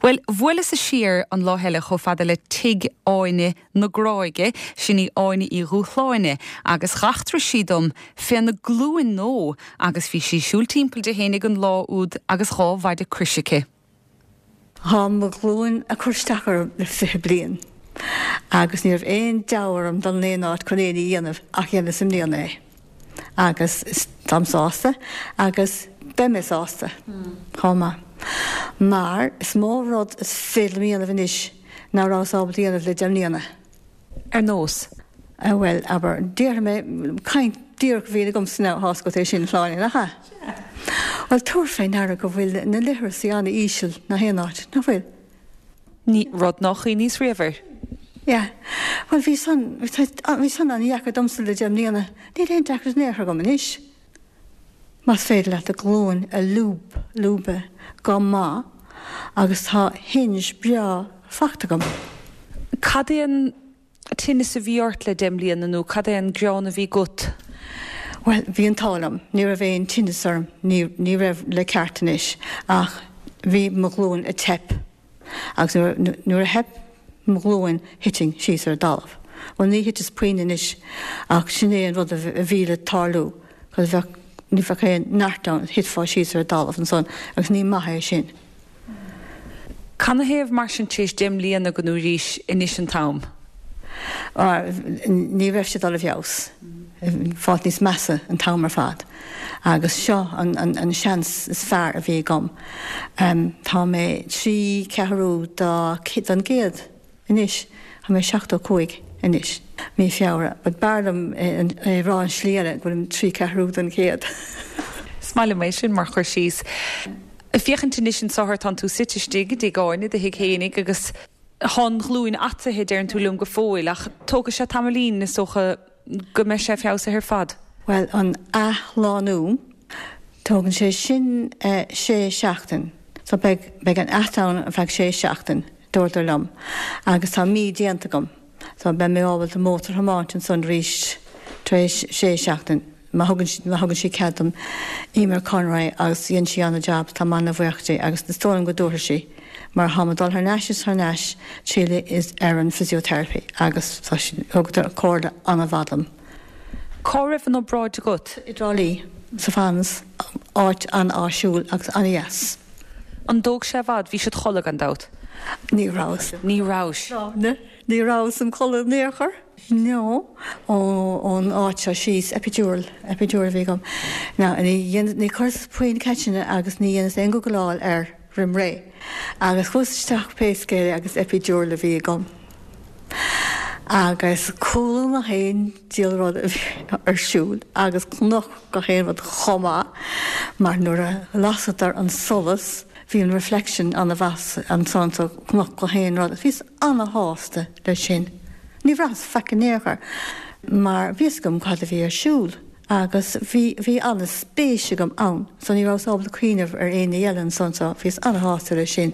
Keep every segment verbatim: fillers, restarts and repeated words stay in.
Well, bhuaileas siar an lá eile chomh fada le tigh Áine na Gráige, sin í Áine Uí Dhúshláine, agus dh'eachtraigh sí dom féna glúin nó agus bhí sí siúl timpeall di fhéinig an lá úd agus dhá mhaide croise aici. Tá mo ghlúin ag cur isteach orm le fiche bliain. Agus ní raibh aon deabhadh orm dul in aon áit chun aon ní a dhéanamh ach dhéanas i mbliana é. Agus táim sásta agus beidh mé sásta chomh maith. Mar is mó rud is féidir liom a dhéanamh anois ná rabhas ábalta a dhéanamh le deich mbliana. Ar nós. Bhuel, abair, déarfaidh mé caint díreach a bhíonn agamsa now tá a fhios agat é sin Sláine nach ea? Bhuel, tabhair fé ndeara go bhfuil na leithreasaí an-íseal nach aon áit, nach bhfuil? Ní rud nár chuimhníos riamh air. Yeah. Bhuel, bhí san, bhí san an-dheacair domsa le deich mbliana. Níl aon deacracht in aon chor agam anois. Más féidir leat do ghlúin a lúb, lúbadh go maith agus tá hinge breá fachta agam. Cad é an tinneas a bhí ort le deich mbliana nó cad é an gearán a bhí agat? Well, bhí an t-ádh liom, ní raibh aon tinneas orm, ní, ní raibh le ceart anois, ach bhí mo ghlúin ag teip. Agus nuair a theip mo ghlúin thitfinn síos ar an dtalamh. Well ní thiteas puinn anois ach sin é an rud a bhí le tarlú, cos bheadh, ní bheadh aon neart ann, thitfeá síos ar an dtalamh ansan agus ní maith é sin. Canathaobh mar sin tar éis deich mbliana go ndúraís anois an t-am? Ní raibh sé dul i bhfeabhas. Fáil níos measa an t-am ar fad. Agus seo an, an, an seans is fearr a bhí agam. Um, tá mé trí ceathrú da, don gcéad anois, tá mé seachtó cúig anois. Mí Feabhra, but b'fhearr liom é rá an slí eile go bhfuilim trí ceathrú don chéad. Is maith liom é sin mar chur síos. Féachaint anois anseo tá tú suite istigh i dtigh Áine do thigh fhéinig agus tá an ghlúin ataithe deireann tú liom go fóill ach tógfaidh sé tamaillín is dócha go mbeidh sé feabhsaithe ar fad. Well an athshlánú tógann sé sin uh, sé seachtain. So beidh, beidh an at ann ar feadh sé seachtain dúradar liom. Agus tá mí déanta agam. So beidh mé ábalta mótar a thiomáint ansan arís tar éis sé seachtain. Má thugann má thugann sí cead dom Emer Conroy agus dhein sí an-jab tá mé an-bhuíoch di agus is dóigh liom go dtabharfaidh sí. Mar tá mé dul thar n-ais is thar n-ais tríla is ar an physiotherapy agus tá thugadar comhairle an-mhaith dom. Cá raibh an obráid agat? I dTrá Lí sa Fanns áit an-áisiúil agus an-dheas. An dtóg sé i bhfad bhí siad chodladh gan dabht. Ní rabhas. Ní rabhais. No, ní rabhas im chodladh in aon chor. No ón áit seo síos epidural epidural a bhí agam. Now ní ní chuireas puinn ceisteanna agus ní dhéanas aon googleáil air roimh ré. Agus chuas isteach pé scéal é agus epidural a bhí agam. Agus chuala gach aon diabhal rud a bhí ar siúl agus chonac gach aon rud chomh maith mar nuair a lasadar an solas bhí an reflection an-mhaith ansan so chonac gach aon rud. Bhíos an-shásta leis sin. Ní bhraitheas faic in aon chor mar bhí a fhios agam cad a bhí ar siúl agus bhí bhí an-spéis agam ann, so ní rabhas ábalta cuimhneamh ar aon ní eile ansan so bhíos an-shásta leis sin.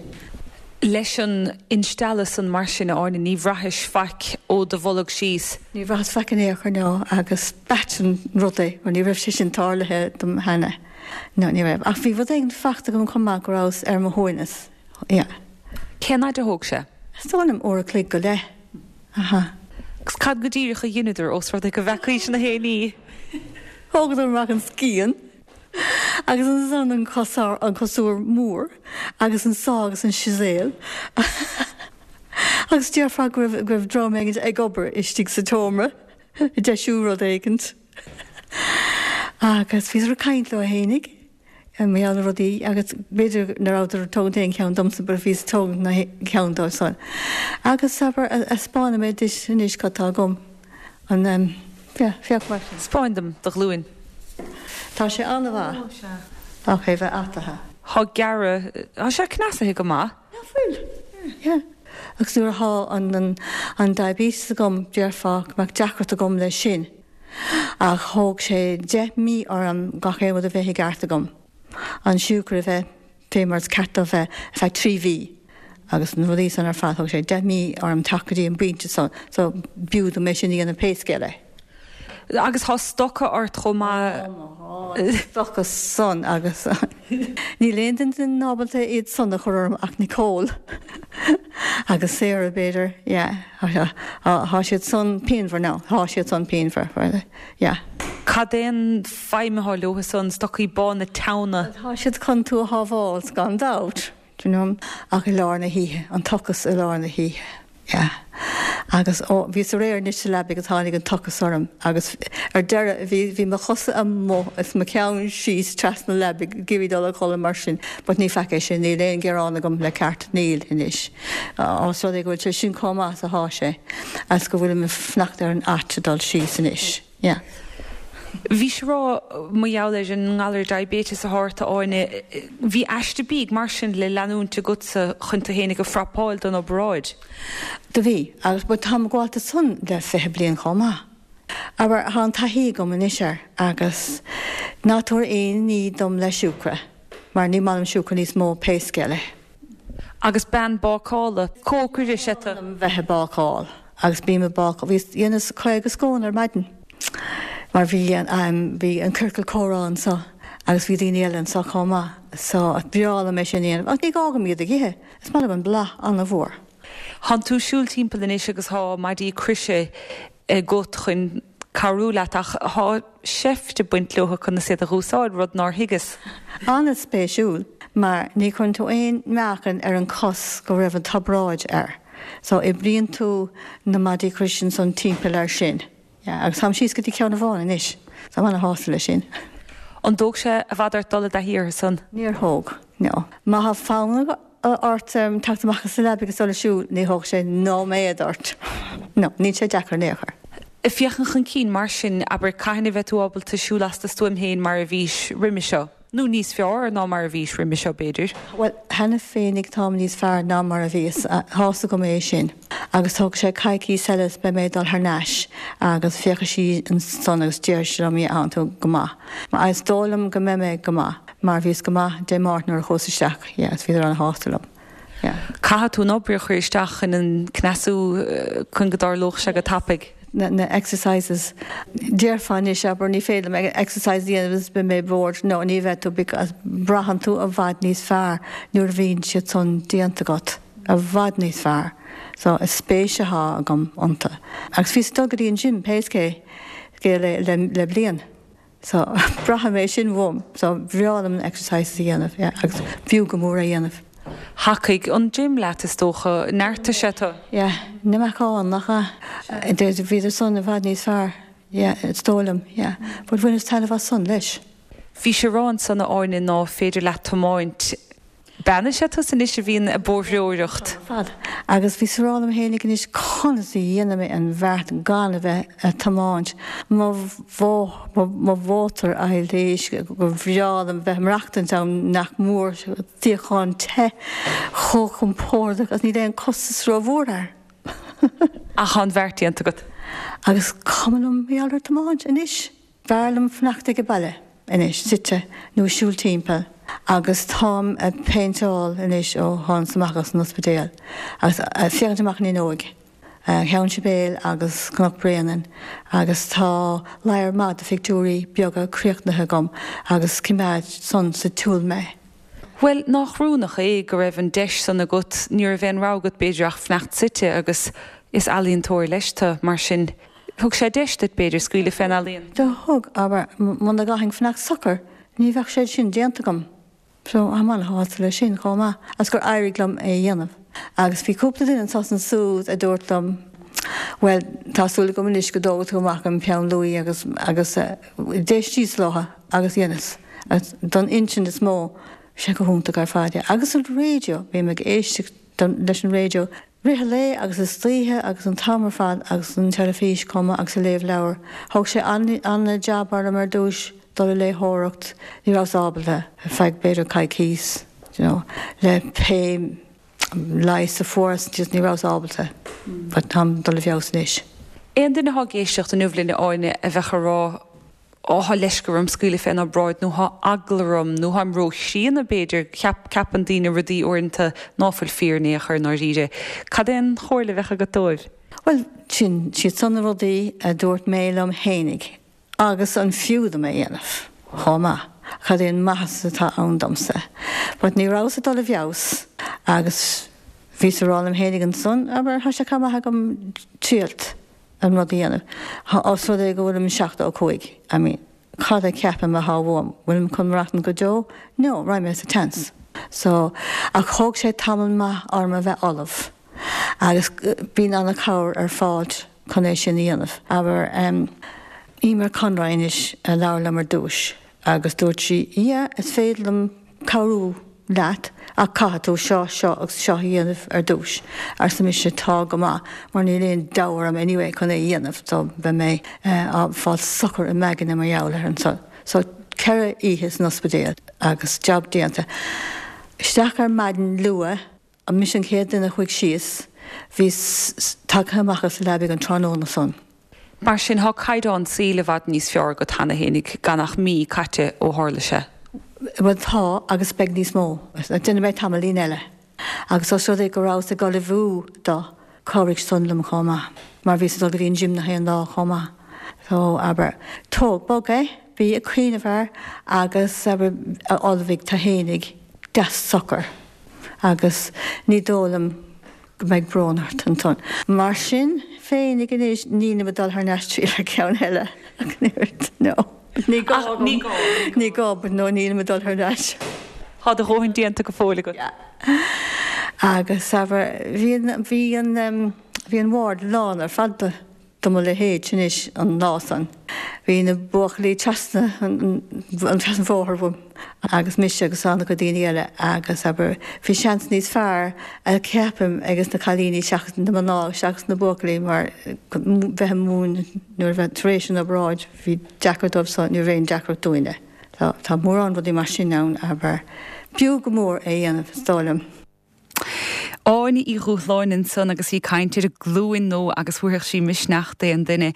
Leis an instealladh san mar sin a Áine ní bhraithis faic ó do bholg síos. Ní bhraitheas faic in aon chor no agus b'ait an rud é mar ní raibh sé sin tarlaithe dom cheana. No ní raibh. Ach bhí rud éigin fachta agam chomh maith go rabhas ar mo shuaimhneas. Yeah. Cén fhad a thóg sé? Is dóigh liom uair a chloig go leith. Aha. Agus cad go díreach a dheineadar ós rud é go bhfeacaís na haon ní? Thógadar amach an scian agus ansan an cosár an cosúr mór agus an saw agus an chisel agus déarfá go raibh go raibh dream éigin ag obair istigh sa tseomra ag deisiú rud éigint. Agus bhíodar ag caint leo fhéinig mar gheall ar rudaí agus b'fhéidir nach rabhadar ag tógaint aon cheann domsa but bhíos ag tógaint na ceann dóibh san. Agus abair spáinfidh mé duit anois cad tá agam an um, yeah, féach mar sin. Spáin dom do ghlúin. Tá sé an-mhaith ach é bheith ataithe. Tá gearradh Tá sé cneasaithe go maith. Nach bhfuil? Yeah. Agus nuair atá an, an, an diabetes agam déarfá go mbeadh deacracht agam leis sin. Ach thóg sé deich mí orm gach aon rud a bheith i gceart agam. An siúcra a bheith fé mar is ceart dó bheith ar feadh trí mhí. Agus na rudaí san ar fad thóg sé deich mí orm teacht go dtí an bpointe san, so b'fhiú dom é sin a dhéanamh pé scéal é. Agus thá stoca ort chomh maith. Stoca san agus níl aon duine ábalta iad san a chur orm ach Nicole agus Sarah b'fhéidir, yeah. Thá siad san pianmhar now, thá siad san pianmhar, yeah. Cad é an feidhm atá leo san, stocaí bána teanna? Tá siad chun tú a shábháil gan dabht, do you know, ach i lár na hoíche, an t-ocras i lár na hoíche, yeah. Agus ó, bhíos aréir anois sa leabaidh agus tháinig an t-ocras orm agus ar deireadh bhí, bhí mo chosa amuigh is mo cheann síos trasna leabaidh ag iarraidh dul a chodladh mar sin, but ní faic é sin, níl aon ghearán agam le ceart, níl anois. Ós rud é go bhfuil sé sin chomh maith is athá sé, agus go bhfuilim ag fanacht ar an ait a dul síos anois, yeah. Bhís ag rá mar gheall ar an ngalar diabetes atá ort, a Áine, bhí aiste bídh mar sin le leanúint agatsa chun tú fhéinig a phrapáil don obráid? Do bhí, agus but táim ag gabháil san le fiche bliain chomh maith. Abair, thá an taithí agam anois air agus ná tabhair aon ní dom le siúcra, mar ní maith liom siúcra níos mó pé scéal é. Agus bean bácála, cócaire is ea tú? Bheith ag bácáil agus bím ag bácáil, bhíos, dhéanas caoga scón ar maidin mar bhí an, bhí an ciorcal comhrá anso agus bhí daoine eile anso chomh maith so is breá liom é sin a dhéanamh ach ní gá dom iad a ithe, is maith liom an blas an-mhór. Thánn tú ag siúl timpeall anois agus thá maidí croise agat chun cabhrú leat ach thá seift ag baint leo conas iad a dh'úsáid, rud nár thuigeas. An-spéisiúil mar ní chuireann tú aon meáchan ar an cos go raibh an t-obráid air so oibríonn tú na maidí croise ansan timpeall air sin. Yeah, agus táim síos go dtí ceann amháin anois so táim ana-shásta leis sin. An dtóg sé i bhfad ort dul i dtaithí orthu san? Níor thóg, no. Má thá fonn ort teacht amach as an leabaidh agus dul ag siúl, ní thógfaidh sé nóiméad ort. No, níl sé deacair in aon chor. Ag féachaint chun cinn mar sin, abair, cathain a bheidh tú ábalta siúl as do stuaim féin mar a bhís roimhe seo? Nó níos fearr ná mar a bhís roimhe seo, b'fhéidir? Bhuel, cheana féinig táim níos fearr ná mar a bhíos. Tá's agam é sin. Agus tógfaidh sé coicíos eile is beidh mé ag dul thar n-ais agus féachfaidh sí ansan agus déarfaidh sí liom, yeah, tánn tú go maith. Mar is dóigh liom go mbeidh mé go maith mar bhíos go maith Dé Máirt nuair a chuas isteach, yeah, is bhíodar ana-shásta liom. Caithfidh tú an obair a chur isteach chun an cneasú chun go dtarlódh sé go tapaidh. na exercises. Déarfá anois, abair, ní féidir liom exercise a dhéanamh is beidh mé bored. No, ní bheidh tú because braitheann tú i bhfad níos fearr nuair a bhíonn siad san déanta agat. I bhfad níos fearr. So, is spéis athá agam iontu. Agus bhíos ag dul go dtí an gym pé scéal é le bliain. So, braithim é sin uaim. So, bhreá liom na exercises a dhéanamh, yeah, agus b'fhiú go mór é a dhéanamh. Thacaigh an gym leat, is dócha. Neartaigh sé tú. Yeah, na meacáin, nach ea? Bhíodar san i bhfad níos fearr, yeah, is dóigh liom, yeah. But bhaineas taitneamh as san leis. Bhís ag rá ansan, a Áine, ná féidir leat tiomáint. Bean is ea tusa anois a bhíonn ag bóithreoireacht. Fad. Agus bhíos ag rá liom fhéinig anois conas a dhéanfaidh mé an bheart gan a bheith a' tiomáint mo mo mhótar a théis gur bhreá liom bheith ag maireachtaint ann nach mór suíochán te chomh compordach agus níl aon costas rómhór air. Ach tá an bheart déanta agat. Agus cuma liom mar gheall ar tiomáint anois. B'fhearr liom fanacht ag baile anois, suite, nó ag siúl timpeall agus táim ag péinteáil anois ó thánas amach as an ospidéal agus ag féachaint amach an fhuinneoig, Ceann Sibéal agus Cnoc Bréanainn agus tá ladhar maith de phictiúirí beaga críochnaithe agam agus coimeádfaidh san sa tsiúl mé. Bhuel, nách rúnach é go raibh an deis san agat, ní raibh aon rogha agat b'fhéidir ach fanacht suite agus is ealaíontóir leis tu, mar sin thug sé deis duit b'fhéidir scaoileadh fén ealaíon. Do thug, abair, muna gcaithfinn fanacht socair ní bheadh sé sin déanta agam. So, táim ana-shásta leis sin chomh maith agus gur éirigh liom é a dhéanamh. Agus bhí cúpla duine anso is ansúd a dúirt liom, bhuel, tá súil agam anois go dtógfaidh tú amach an peann luaidhe agus, agus d'éistíos leo agus dheineas. Agus don intinn is mó, bhí sé go hiontach ar fad, yeah. Agus an raidió, bím ag éisteacht leis an raidió rith an lae agus istoíche agus an t-am ar fad agus an teilifís chomh maith agus ag léamh leabhar. Thóg sé an-jab orm ar dtúis dul ag léitheoireacht, ní rabhas ábalta ar feadh b'fhéidir coicíos, you know, le pé leigheas a fuaireas just ní rabhas ábalta but táim ag dul i bhfeabhas anois. Aon duine atá ag éisteacht inniu linn, a Áine, a bheadh ag rá Ó, thá leisce orm scaoileadh fén obráid, nó thá eagla orm, nó tháim ró-chríonna, b'fhéidir, ceap, ceapann daoine rudaí uaireanta ná fuil fíor in aon chor i ndáiríre. Cad é an chomhairle a bheadh agat dóibh? Well, sin siad san na rudaí a dúirt mé liom fhéinig agus an fiú dom é dhéanamh chomh maith. Cad é an maitheas atá ann domsa. But ní rabhas ag dul i bhfeabhas agus bhíos ag rá liom fhéinig ansan, abair, tá sé chomh maith agam triailt an rud a dhéanamh. Os rud é go bhfuilim seachtó a cúig, I mean, cad a cheapaim atá uaim? Bhfuilim chun maireachtaint go deo? No, raghaidh mé sa tseans. So, ach thóg sé tamall maith orm a bheith ullamh agus bíonn an-chabhair ar fáil chun é sin a dhéanamh. Abair, um, Emer Conroy anois a labhair liom ar dtús agus dúirt sí, yeah, is féidir liom cabhrú leat ach caithfidh tú seo, seo agus seo a dhéanamh ar dtús. Arsa mise tá go maith, mar níl aon deabhadh orm anyway chun é a dhéanamh, so beidh mé uh, fáil socair i m'aigne mar gheall air ansan. So ceithre oíche san ospidéal agus job déanta. Isteach ar maidin luath, an mise an chéad duine a chuaigh síos, bhíos tagtha amach as an leabaidh an tráthnóna san. Mar sin tá caighdeán saoil i bhfad níos fearr agat cheana fhéinig gan ach mí caite ó tharla sé. Well tá agus beidh níos mó. Déanfaidh mé tamaillín eile. Agus os rud é go rabhas ag ullmhú dó chabhraigh san liom chomh maith, mar bhíos ag dul go dtí an gym na haon lá chomh maith. So abair, tóg bog é, bí ag cuimhneamh air agus abair ullmhaigh tú fhéinig deas socair. Agus ní dóigh liom go mbeidh brón ort ansan. Mar sin féinig anois nílim ag dul thar n-ais triail ar ceann eile ach no. Ní gá ní gá. Ní gá, but no nílim ag dul thar n-ais. Tá do dhóthain déanta go fóill agat. Agus abair bhí an bhí an um, bhí an ward lán ar fad de do mo leithéid anois an lá san. Bhí na buachaillí trasna an trasna bóthar uaim agus mise agus an-chuid daoine eile agus abair bhí seans níos fearr a ceapaim agus na cailíní seachas na mná seachas na buachaillí mar bheith múin nuair bheith tar éis an obráid bhí deacair dóibh so ní raibh aon deacracht dúinne. Tá tá mórán rudaí mar sin ann abair b'fhiú go mór é dhéanamh is dóigh liom. Áine Uí Dhúshláin ansan agus í ag caint ar an gcluain nó agus thabharfadh sí misneach d'aon duine.